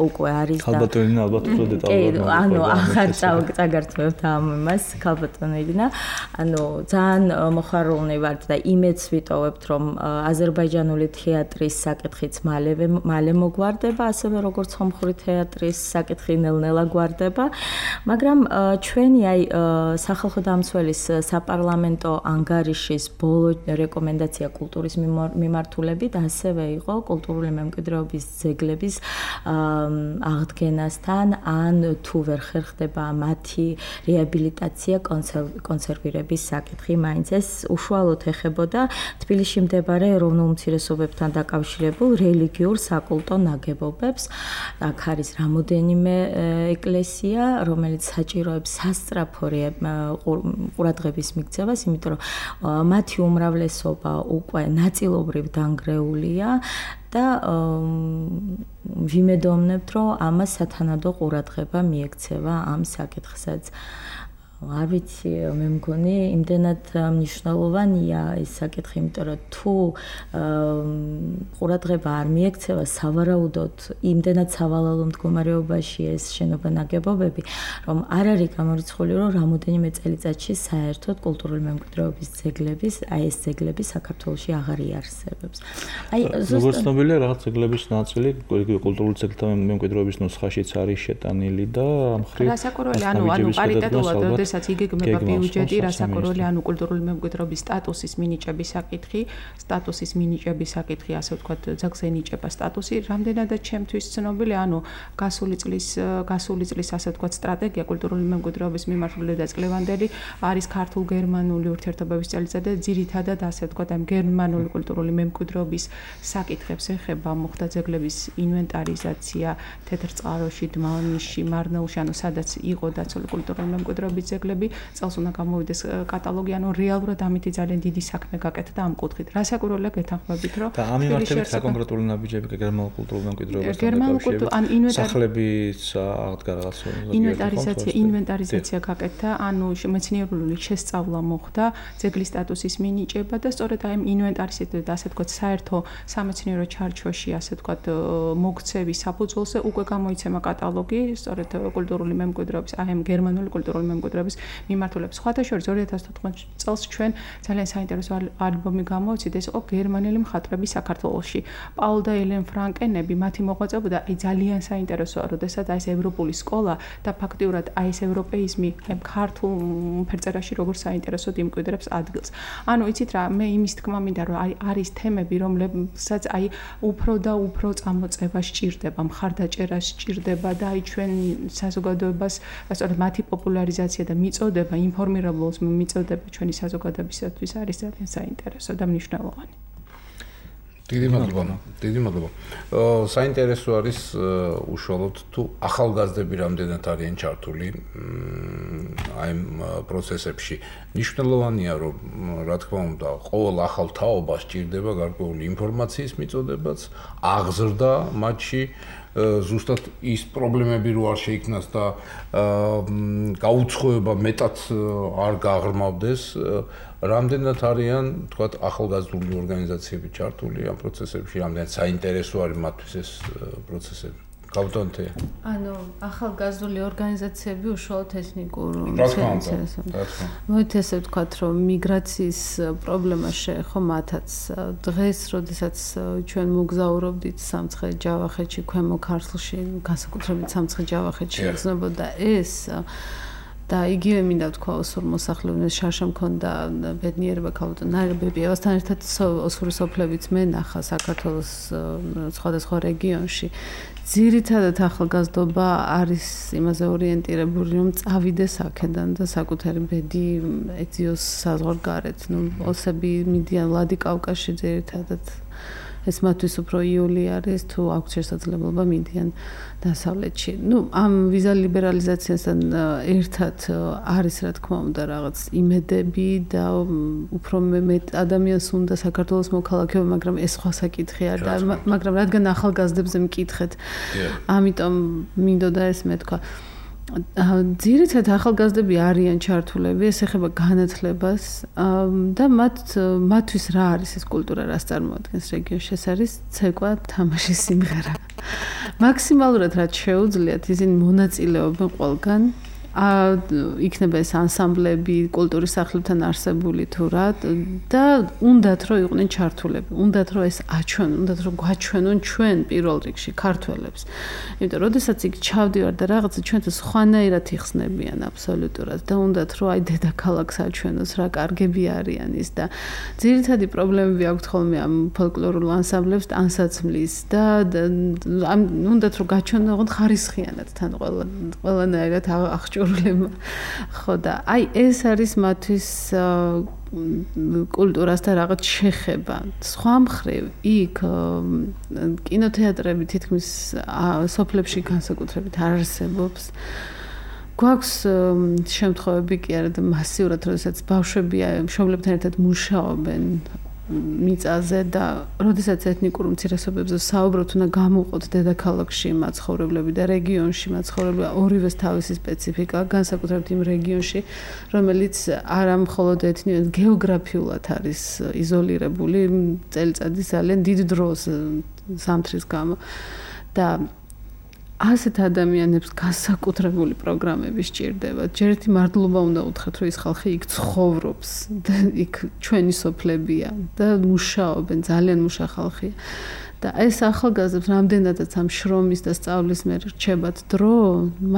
უკვე არის და ქალბატონი ალბათ უფრო დეტალურად ანუ ახალ წაგართმევთ ამ იმას ქალბატონინა, ანუ ძალიან მოხარულნი ვართ და იმედს ვიტოვებთ რომ აზერბაიჯანული თეატრის საკითხიც მალევე მალე მოგვარდება, ასევე როგორც სომხური თეატრის საკითხი ნელ-ნელა გვარდება, მაგრამ ჩვენი აი სახალხო დამცველის საპარლამენტო ანგარიშის ბოლო რეკომენდაცია კულტურის მიმართულებით ასევე იყო კულტურული მემკვიდრეობის ძეგლების აღდგენასთან ან თუ ვერ ხერხდება მათი რეაბილიტაცია, კონსერვირების საკითხი, მაინც ეს უშუალოდ ეხებოდა თბილისში მდებარე ეროვნულ უმცირესობებთან დაკავშირებულ რელიგიურ საკულტო ნაგებობებს. აქ არის რამოდენიმე ეკლესია, რომელიც საჭიროებს სასწრაფო ყურადღების მიქცევას, იმიტომ რომ მათი უმრავლესობა უკვე ნაწილობრივ დანგრეულია და ვიმედოვნებთ, რომ ამას სათანადო ყურადღება მიექცევა ამ საკითხსაც. არ ვიცი, მე მგონი იმდენად მნიშვნელოვანია ეს საკითხი, იმიტომ რომ თუ ყურადღება არ მიექცევა სავარაუდოდ იმდენად სავალალო მდგომარეობაში ეს შენობა ნაგებობები, რომ არ არის გამორიცხული, რომ რამოდენიმე წელიწადში საერთოდ კულტურული მემკვიდრეობის ძეგლების, აი ეს ძეგლები საქართველოში აღარ იარსებებს. აი ზუსტად ცნობილია რაღაც ძეგლების ნაწილი კულტურული ძეგლთა მემკვიდრეობის ნუსხაშიც არის შეტანილი და ამ მხრივ რასაკურველი, ანუ ანუ პარიტეტულად რასაც იგეგმება ბიუჯეტი, რასაკურველი, ანუ კულტურული მემკვიდრეობის სტატუსის მინიჭების საკითხი, სტატუსის მინიჭების საკითხი, ასე ვთქვათ, ძეგლზე ნიჭება სტატუსი, რამდენადაც ჩემთვის ცნობილი, ანუ გასული წლის გასული წლის ასე ვთქვათ სტრატეგია კულტურული მემკვიდრეობის მიმართული და წლევანდელი არის ქართულ-გერმანული ურთიერთობების წელიწადი, ძირითადად ასე ვთქვათ, ამ გერმანული კულტურული მემკვიდრეობის საკითხებს ეხება, მოხდა ძეგლების ინვენტარიზაცია თეთრწყაროში, დმანისში, მარნეულში, ანუ სადაც იყო დაცული კულტურული მემკვიდრეობის ძეგლები, წელს უნდა გამოვიდეს კატალოგი, ანუ რეალურად ამითი ძალიან დიდი საქმე გაკეთდა ამ კუთხით. რასაკურველია გეთანხმებით, რომ და ამ მიმართებით საკონკრეტული ნაბიჯები გერმანულ კულტურულ მემკვიდრეობასთან გერმანულ კულტურულ ან სახლების აღდგა რაღაც ინვენტარიზაცია, ინვენტარიზაცია გაკეთდა, ანუ მეცნიერული შესწავლა მოხდა, ძეგლის სტატუსის მინიჭება და სწორედ აი ამ ინვენტარიზაციასთან და ასე ვთქვათ, საერთო სამეცნიერო ჩარჩოში, ასე ვთქვათ, მოქცევის საფუძველზე უკვე გამოიცემა კატალოგი, სწორედ კულტურული მემკვიდრეობის, აი ამ გერმანული კულტურული მემკვიდრეობის მიმართულებით. სხვათა შორის ორი ათას თოთხმეტ წელს ჩვენ ძალიან საინტერესო ალბომი გამოვიცით, ეს იყო გერმანელი მხატვრები საქართველოში. პაულ და ელენ ფრანკენები, მათი მოღვაწეობა აი ძალიან საინტერესოა, როდესაც აი ეს ევროპული სკოლა და ფაქტიურად აი ეს ევროპეიზმი აი ქართულ ფერწერაში როგორ საინტერესოდ იმკვიდრებს ადგილს. ანუ იცით რა, მე იმის თქმა მინდა, რომ აი არის თემები, რომლებსაც აი უფრო და უფრო წამოწევა სჭირდება, მხარდაჭერა სჭირდება და აი ჩვენ საზოგადოებას, სწორედ მათი პოპულარიზაცია და მიწოდება, ინფორმირებულს მიწოდება ჩვენი საზოგადოებისათვის არის ძალიან საინტერესო და მნიშვნელოვანი. დიდი მადლობა. დიდი მადლობა. საინტერესო არის უშუალოდ თუ ახალგაზრდები რამდენად არიან ჩართული აი ამ პროცესებში. მნიშვნელოვანია, რომ რა თქმა უნდა, ყოველ ახალ თაობას სჭირდება გარკვეული ინფორმაციის მიწოდებაც, აღზრდა მათში ზუსტად ის პრობლემები რო არ შეიქმნას და გაუცხოება მეტად არ გაღრმავდეს, რამდენად არიან, თქვათ, ახალგაზრდული ორგანიზაციები ჩართული ამ პროცესებში, რამდენად საინტერესო არის მათთვის ეს პროცესები. გავდონთე. ანუ ახალგაზრდული ორგანიზაციები უშუალოდ ეთნიკურ ინტერესებს. მოით ესე ვთქვათ, რომ მიგრაციის პრობლემა შეეხო მათაც. დღეს, როდესაც ჩვენ მოგზაურობდით სამცხე-ჯავახეთში, ქვემო ქართლში, განსაკუთრებით სამცხე-ჯავახეთში იგრძნობოდა ეს და იგივე მინდა ვთქვა ოსურ მოსახლეობას შარშა მქონდა ბედნიერება ქალბატონ ნარიბებიევასთან ერთად ოსური სოფლებიც მენახა საქართველოს სხვადასხვა რეგიონში. ძირითადად ახალგაზრდობა არის იმაზე ორიენტირებული, რომ წავიდეს აქედან და საკუთარი ბედი ეძიოს საზღვარგარეთ. ნუ ოსები მიდიან ლადიკავკაზში ძირითადად ეს მათთვის უფრო იოლი არის თუ აქვს შესაძლებლობა მიდიან დასავლეთში. ნუ ამ ვიზა ლიბერალიზაციასთან ერთად არის რა თქმა უნდა რაღაც იმედები და უფრო მეტ ადამიანს უნდა საქართველოს მოქალაქეობა, მაგრამ ეს სხვა საკითხია და მაგრამ რადგან ახალგაზრდებზე მკითხეთ, ამიტომ მინდოდა ეს მეთქვა. ძირითადად ახალგაზრდები არიან ჩართულები, ეს ეხება განათლებას და მათ მათთვის რა არის ეს კულტურა, რას წარმოადგენს რეგიონში, ეს არის ცეკვა, თამაში, სიმღერა. მაქსიმალურად რაც შეუძლიათ, ისინი მონაწილეობენ ყველგან. იქნება ეს ანსამბლები, კულტურის სახლებთან არსებული თუ რა და უნდათ რომ იყვნენ ჩართულები, უნდათ რომ ეს აჩვენონ, უნდათ რომ გვაჩვენონ ჩვენ პირველ რიგში ქართველებს. იმიტომ რომ როდესაც იქ ჩავდივარ და რაღაცა ჩვენთან სხვანაირად იხსნებიან აბსოლუტურად და უნდათ რომ აი დედაქალაქს აჩვენოს, რა კარგები არიან ის და ძირითადი პრობლემები აქვს ხოლმე ამ ფოლკლორულ ანსამბლებს ანსაცმლის და ამ უნდათ რომ გაჩვენონ ოღონდ ხარისხიანად თან ყველა ყველანაირად აღჭურვილება. ხო და აი ეს არის მათთვის კულტურასთან რაღაც შეხება. სხვა მხრივ იქ კინოთეატრები თითქმის სოფლებში განსაკუთრებით არ არსებობს. გვაქვს შემთხვევები კი არა და მასიურად, როდესაც ბავშვები მშობლებთან ერთად მუშაობენ მიწაზე და როდესაც ეთნიკურ უმცირესობებზე საუბრობთ, უნდა გამოვყოთ დედაქალაქში მაცხოვრებლები და რეგიონში მაცხოვრებლები, ორივეს თავისი სპეციფიკა, განსაკუთრებით იმ რეგიონში, რომელიც არა მხოლოდ ეთნიკურად, გეოგრაფიულად არის იზოლირებული წელიწადის ძალიან დიდ დროს ზამთრის გამო და ასეთ ადამიანებს განსაკუთრებული პროგრამები სჭირდება. ჯერ ერთი მადლობა უნდა უთხრათ, რომ ის ხალხი იქ ცხოვრობს და იქ ჩვენი სოფლებია და მუშაობენ, ძალიან მუშა ხალხია. და ეს ახალგაზრდებს რამდენადაც ამ შრომის და სწავლის მიერ რჩებათ დრო,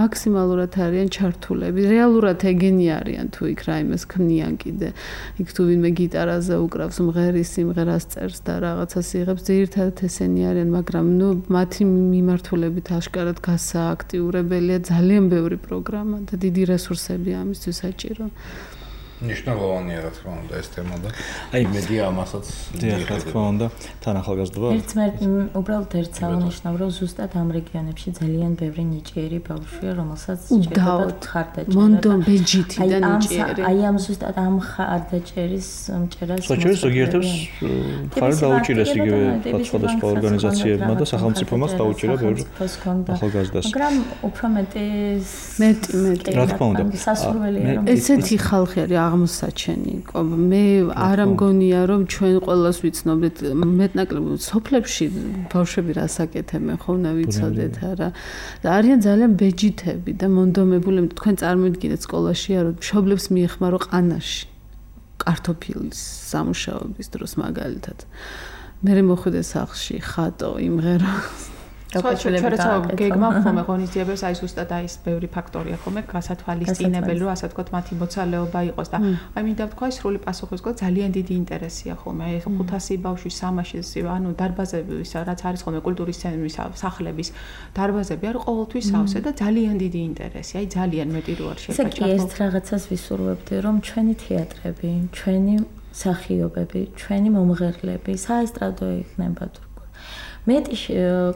მაქსიმალურად არიან ჩართულები. რეალურად ეგენი არიან თუ იქ რაიმეს ქმნიან კიდე. იქ თუ ვინმე გიტარაზე უკრავს, მღერის სიმღერას წერს და რაღაცას იღებს, ძირითადად ესენი არიან, მაგრამ ნუ მათი მიმართულებით აშკარად გასააქტიურებელია ძალიან ბევრი პროგრამა და დიდი რესურსები ამისთვის საჭირო. ნიშნულოვანია რა თქმა უნდა ეს თემა და აი მედია ამასაც რა თქმა უნდა თან ახალგაზრდობა ერთს მე უბრალოდ ერთს აღნიშნავ რომ ზუსტად ამ რეგიონებში ძალიან ბევრი ნიჭიერი ბავშვია რომელსაც ჭირდება ხარდაჭერა მონდო ბეჯითი და ნიჭიერი აი ამ ზუსტად ამ ხარდაჭერის მჭერას საჭირო ზოგიერთებს ხარ დაუჭირეს იგივე სხვადასხვა ორგანიზაციებმა და სახელმწიფომ დაუჭირა ბევრი ახალგაზრდას მაგრამ უფრო მეტი მეტი მეტი რა თქმა უნდა სასურველია რომ ესეთი ხალხი არის აღმოსაჩენი. მე არ ამგონია რომ ჩვენ ყველას ვიცნობთ მეტნაკლებად სოფლებში ბავშვები რას აკეთებენ ხო უნდა ვიცოდეთ არა. და არიან ძალიან ბეჯითები და მონდომებული თქვენ წარმოიდგინეთ სკოლაშია რომ მშობლებს მიეხმარო ყანაში კარტოფილის სამუშაობის დროს მაგალითად. მე მოხვიდე სახლში ხატო იმღერო ჩვენ გეგმა ხომ ღონისძიებებს აი ზუსტად აი ეს ბევრი ფაქტორია ხომ გასათვალისწინებელი რომ ასე ვთქვათ მათი მოცალეობა იყოს და აი მინდა ვთქვა სრული პასუხისგებლობა ძალიან დიდი ინტერესია ხომ აი ხუთასი ბავშვის სამაშის ანუ დარბაზები რაც არის ხომ კულტურის ცენტრის სახლების დარბაზები არის ყოველთვის სავსე და ძალიან დიდი ინტერესი აი ძალიან მეტი რო არ შეფაჭა ეს რაღაცას ვისურვებდი რომ ჩვენი თეატრები ჩვენი მსახიობები ჩვენი მომღერლები საესტრადო იქნება თუ მეტი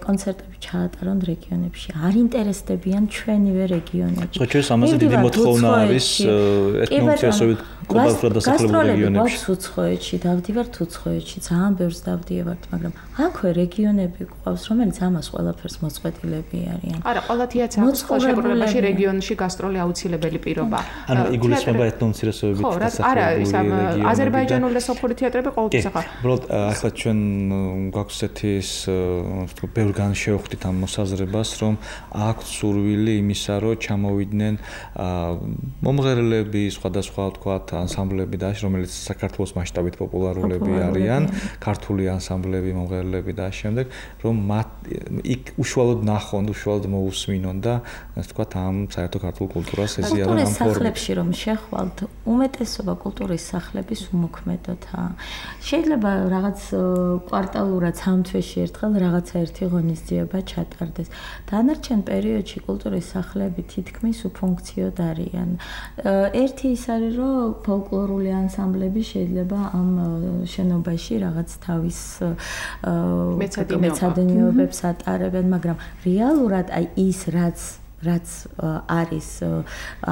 კონცერტები ჩაატარონ რეგიონებში. არ ინტერესდებიან ჩვენივე რეგიონებში. საერთოდ ამაზე დიდი მოთხოვნა არის ეთნოუმცირესობით ყოველდღიურად დასახლებული რეგიონებში. უცხოეთში დავდივართ უცხოეთში, ძალიან ბევრს დავდივართ, მაგრამ აქვე რეგიონები გვყავს, რომელიც ამას ყველაფერს მოწყვეტილები არიან. არა, ყველა თეატრს შეგვიძლია რეგიონში გასტროლი აუცილებელი პირობა. ანუ იგულისხმება ეთნოუმცირესობით დასახლებული რეგიონები. აზერბაიჯანული და სოფური თეატრები ყოველთვის ახლა. უბრალოდ ახლა ჩვენ გვაქვს ესეთის ვთქვი, ბევრგან შევხვდით ამ მოსაზრებას, რომ აქვს სურვილი იმისა, რომ ჩამოვიდნენ მომღერლები, სხვადასხვა ვთქვათ, ანსამბლები და რომელიც საქართველოს მასშტაბით პოპულარულები არიან, ქართული ანსამბლები, მომღერლები და შემდეგ, რომ მათ იქ უშუალოდ ნახონ, უშუალოდ მოусმინონ და ასე ვთქვათ, ამ საერთო ქართულ კულტურას ეზიარონ ამ ფორმით. სახლებში რომ შეხვალთ, უმეტესობა კულტურის სახლების უმოქმედოთა. შეიძლება რაღაც კვარტალურად სამ თვეში ერთხელ ერთხელ რაღაცა ერთი ღონისძიება ჩატარდეს. დანარჩენ პერიოდში კულტურის სახლები თითქმის უფუნქციოდ არიან. ერთი ის არის, რომ ფოლკლორული ანსამბლები შეიძლება ამ შენობაში რაღაც თავის მეცადინეობებს ატარებენ, მაგრამ რეალურად აი ის რაც რაც არის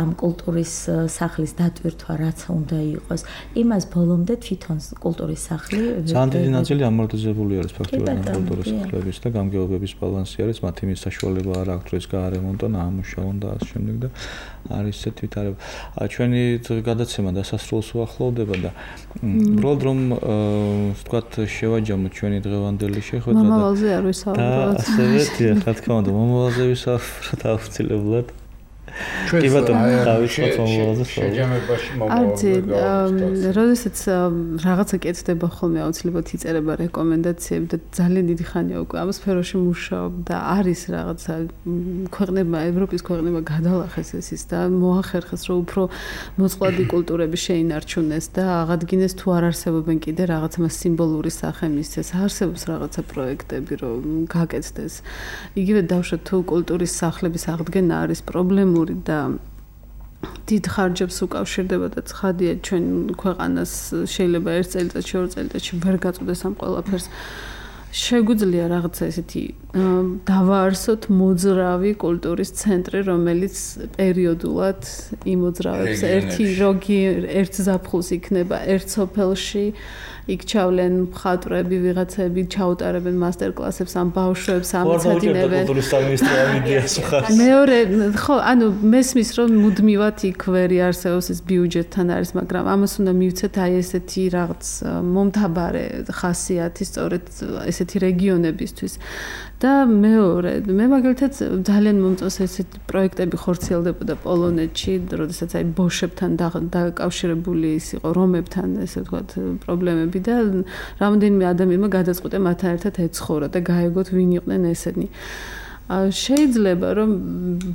ამ კულტურის სახლის დატვირთვა, რაც უნდა იყოს, იმას ბოლომდე თვითონ კულტურის სახლი ძალიან დიდი ნაწილი ამორტიზებული არის ფაქტობრივად კულტურის სახლების და გამგეობების ბალანსი არის, მათ იმის საშუალება არ აქვს, რომ გაარემონტონ, ამუშავონ და ასე შემდეგ და არის ესეთ ვითარება. ჩვენი გადაცემა დასასრულს უახლოვდება და უბრალოდ რომ ვთქვათ შევაჯამოთ ჩვენი დღევანდელი შეხვედრა და მომავალზე არ ვისაუბროთ. ასევე რა თქმა უნდა, მომავალზე ვისაუბროთ აუცილებლად. კი ბატონო, დავიწყოთ მომავალზე. შეჯამებაში მომავალზე. არც როდესაც რაღაცა კეთდება ხოლმე აუცილებლად იწერება რეკომენდაციები და ძალიან დიდი ხანია უკვე ამ სფეროში მუშაობ და არის რაღაცა ქვეყნება, ევროპის ქვეყნება გადალახეს ეს ის და მოახერხეს რომ უფრო მოწყვლადი კულტურები შეინარჩუნეს და აღადგინეს თუ არ არსებობენ კიდე რაღაცა სიმბოლური სახე მისცეს. არსებობს რაღაცა პროექტები რომ გაკეთდეს. იგივე დავშოთ თუ კულტურის სახლების აღდგენა არის პრობლემური და დიდ ხარჯებს უკავშირდება და ცხადია ჩვენ ქვეყანას შეიძლება ერთ წელიწადში, ორ წელიწადში ვერ გაწოდეს ამ ყველაფერს. შეგვიძლია რაღაცა ესეთი დავაარსოთ მოძრავი კულტურის ცენტრი, რომელიც პერიოდულად იმოძრავებს ერთი როგი ერთ ზაფხულს იქნება ერთ სოფელში. იქ ჩავლენ მხატვრები, ვიღაცები ჩაუტარებენ მასტერკლასებს ამ ბავშვებს, ამეცადინებენ. კულტურის სამინისტრო იდეას ხარ. მეორე, ხო, ანუ მესმის რომ მუდმივად იქ ვერი არსებობს ეს ბიუჯეტთან არის, მაგრამ ამას უნდა მივცეთ აი ესეთი რაღაც მომთაბარე ხასიათი სწორედ ესეთი რეგიონებისთვის. და მეორე, მე მაგალითად ძალიან მომწონს ესეთი პროექტები ხორციელდებოდა პოლონეთში, როდესაც აი ბოშებთან დაკავშირებული ის იყო რომებთან, ესე ვთქვათ, პრობლემები და რამდენიმე ადამიანმა გადაწყვიტა მათთან ერთად ეცხოვრა და გაეგოთ ვინ იყვნენ ესენი. შეიძლება რომ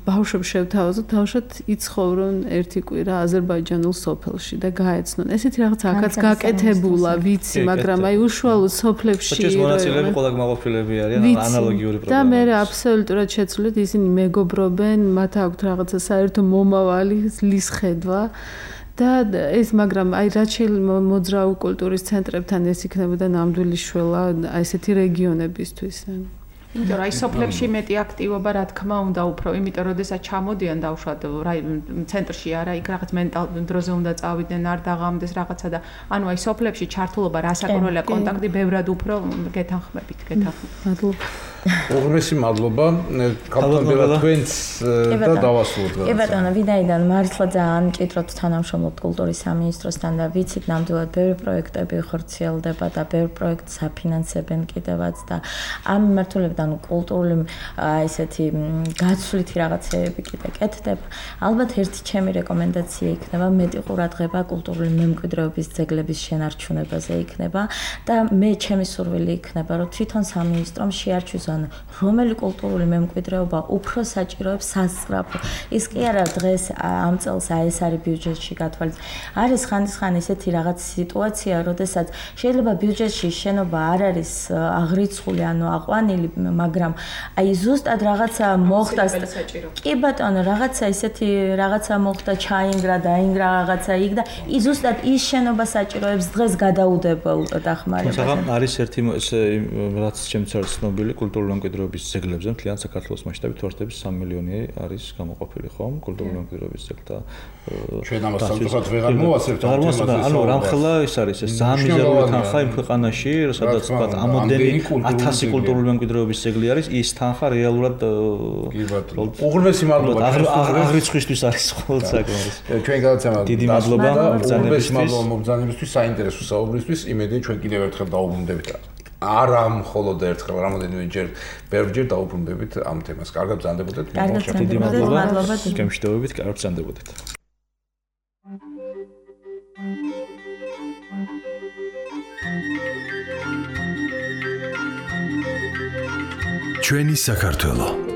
ბავშვებს შევთავაზოთ, თავშოთ იცხოვრონ ერთი კვირა აზერბაიჯანულ სოფელში და გაეცნონ. ესეთი რაღაც აქაც გაკეთებულა, ვიცი, მაგრამ აი უშუალოდ სოფლებში ეს მონაწილეები ყველა გმაყოფილები არიან, ანალოგიური პრობლემა. და მე აბსოლუტურად შეცვლით ისინი მეგობრობენ, მათ აქვთ რაღაცა საერთო მომავალი, ლის ხედვა. და ეს მაგრამ აი რაც შეიძლება მოძრავი კულტურის ცენტრებთან ეს იქნებოდა ნამდვილი შველა აი ესეთი რეგიონებისთვის. იმიტომ რომ აი სოფლებში მეტი აქტივობა რა თქმა უნდა უფრო, იმიტომ რომ შესაძაც ჩამოდიან დავშვათ ცენტრში არა, იქ რაღაც მენტალ დროზე უნდა წავიდნენ, არ დაღამდეს რაღაცა და ანუ აი სოფლებში ჩართულობა რასაკვირველია კონტაქტი ბევრად უფრო გეთანხმებით, გეთანხმებით. მადლობა. უღრმესი მადლობა კაპიტან თქვენს და დავასრულოთ. კი ბატონო, ვინაიდან მართლა ძალიან მჭიდროდ თანამშრომლობთ კულტურის სამინისტროსთან და ვიცით ნამდვილად ბევრი პროექტები ხორციელდება და ბევრ პროექტს აფინანსებენ კიდევაც და ამ მიმართულებიდან კულტურული ესეთი გაცვლითი რაღაცეები კიდე კეთდება. ალბათ ერთი ჩემი რეკომენდაცია იქნება მეტი ყურადღება კულტურული მემკვიდრეობის ძეგლების შენარჩუნებაზე იქნება და მე ჩემი სურვილი იქნება რომ თვითონ სამინისტრომ შეარჩიოს რომელი კულტურული მემკვიდრეობა უფრო საჭიროებს სასწრაფო. ის კი არა დღეს ამ წელს აი ეს არის ბიუჯეტში გათვალისწინებული. არის ხანდისხან ესეთი რაღაც სიტუაცია, როდესაც შეიძლება ბიუჯეტში შენობა არ არის აღრიცხული, ანუ აყვანილი, მაგრამ აი ზუსტად რაღაცა მოხდა. კი ბატონო, რაღაცა ესეთი რაღაცა მოხდა, ჩაინგრა, დაინგრა რაღაცა იქ და ის ზუსტად ის შენობა საჭიროებს დღეს გადაუდებელ დახმარებას. თუმცა არის ერთი რაც ჩემს არის ცნობილი კულტურული მემკვიდრეობის ძეგლებზე მთლიან საქართველოს მასშტაბით ვარდების სამი მილიონი არის გამოყოფილი ხომ კულტურული მემკვიდრეობის ძეგლთა ჩვენ ამას სამწუხაროდ ვეღარ მოვასწრებთ ამ თემაზე. ანუ რამხელა ეს არის ეს ძალიან მიზერული თანხა იმ ქვეყანაში, სადაც ვთქვათ ამდენი ათასი კულტურული მემკვიდრეობის ძეგლი არის, ის თანხა რეალურად უღრმესი მადლობა აღრიცხვისთვის არის მხოლოდ საკმარის. ჩვენ გადაცემა დიდი მადლობა მობრძანებისთვის, საინტერესო საუბრისთვის. იმედი ჩვენ კიდევ ერთხელ დაუბრუნდებით. არა მხოლოდ ერთხელ, რამოდენიმე ჯერ, ბევრჯერ დაუბრუნდებით ამ თემას. კარგად ბრძანდებოდეთ. დიდი მადლობა. გემშვიდობებით, კარგად ბრძანდებოდეთ. ჩვენი საქართველო